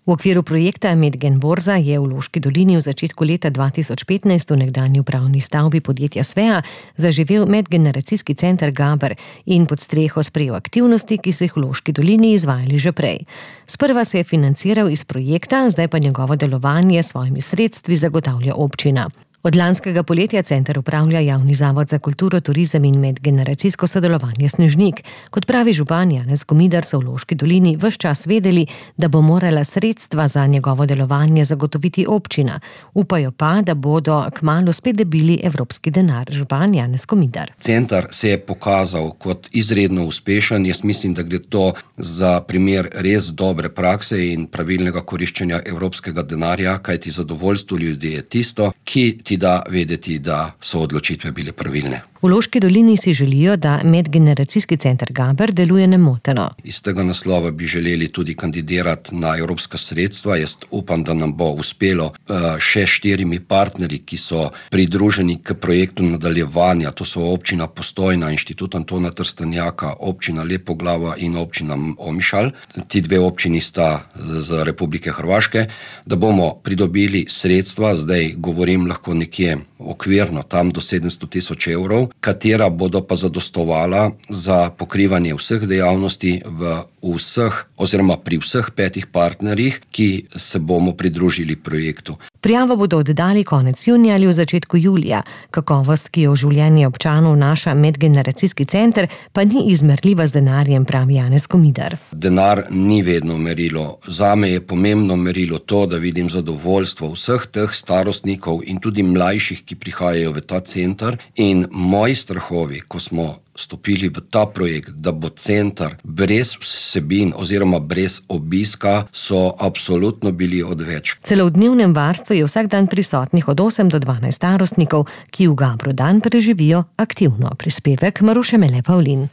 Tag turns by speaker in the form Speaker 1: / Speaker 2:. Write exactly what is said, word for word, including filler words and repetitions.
Speaker 1: V okviru projekta Medgen Borza je v Loški dolini v začetku leta dva tisoč petnajst v nekdanji upravni stavbi podjetja Svea zaživel medgeneracijski center Gaber in pod streho sprejel aktivnosti, ki so jih v Loški dolini izvajali že prej. Sprva se je financiral iz projekta, zdaj pa njegovo delovanje s svojimi sredstvi zagotavlja občina. Od lanskega poletja center upravlja Javni zavod za kulturo, turizem in medgeneracijsko sodelovanje Snežnik. Kot pravi župan Janez Komidar, so v Loški dolini ves čas vedeli, da bo morala sredstva za njegovo delovanje zagotoviti občina. Upajo pa, da bodo kmalu spet dobili evropski denar. Župan Janez Komidar.
Speaker 2: Center se je pokazal kot izredno uspešen. Jaz mislim, da gre to za primer res dobre prakse in pravilnega koriščenja evropskega denarja, kajti zadovoljstvo ljudi je tisto, ki ti da vedeti, da so odločitve bile pravilne.
Speaker 1: V Loški dolini si želijo, da medgeneracijski center Gaber deluje nemoteno.
Speaker 2: Iz tega naslova bi želeli tudi kandidirati na evropska sredstva. Jaz upam, da nam bo uspelo še štirimi partnerji, ki so pridruženi k projektu nadaljevanja. To so občina Postojna, Inštitut Antona Trstenjaka, občina Lepoglava in občina Omišalj. Ti dve občini sta z Republike Hrvaške, da bomo pridobili sredstva, zdaj govorim lahko nekje okvirno, tam do sedemsto tisoč evrov, katera bodo pa zadostovala za pokrivanje vseh dejavnosti v vseh oziroma pri vseh petih partnerjih, ki se bomo pridružili projektu.
Speaker 1: Prijavo bodo oddali konec junija ali v začetku julija. Kakovost, ki jo v življenje občanov vnaša medgeneracijski center, pa ni izmerljiva z denarjem, pravi Janez Komidar.
Speaker 2: Denar ni vedno merilo. Zame je pomembno merilo to, da vidim zadovoljstvo vseh teh starostnikov in tudi mlajših, ki prihajajo v ta center. In moji strahovi, ko smo stopili v ta projekt, da bo center brez vsebin oziroma brez obiska, so absolutno bili odveč.
Speaker 1: Celo v dnevnem varstvu je vsak dan prisotnih od osem do dvanajst starostnikov, ki v Gabru dan preživijo aktivno. Prispevek Maruše Mele Pavlin.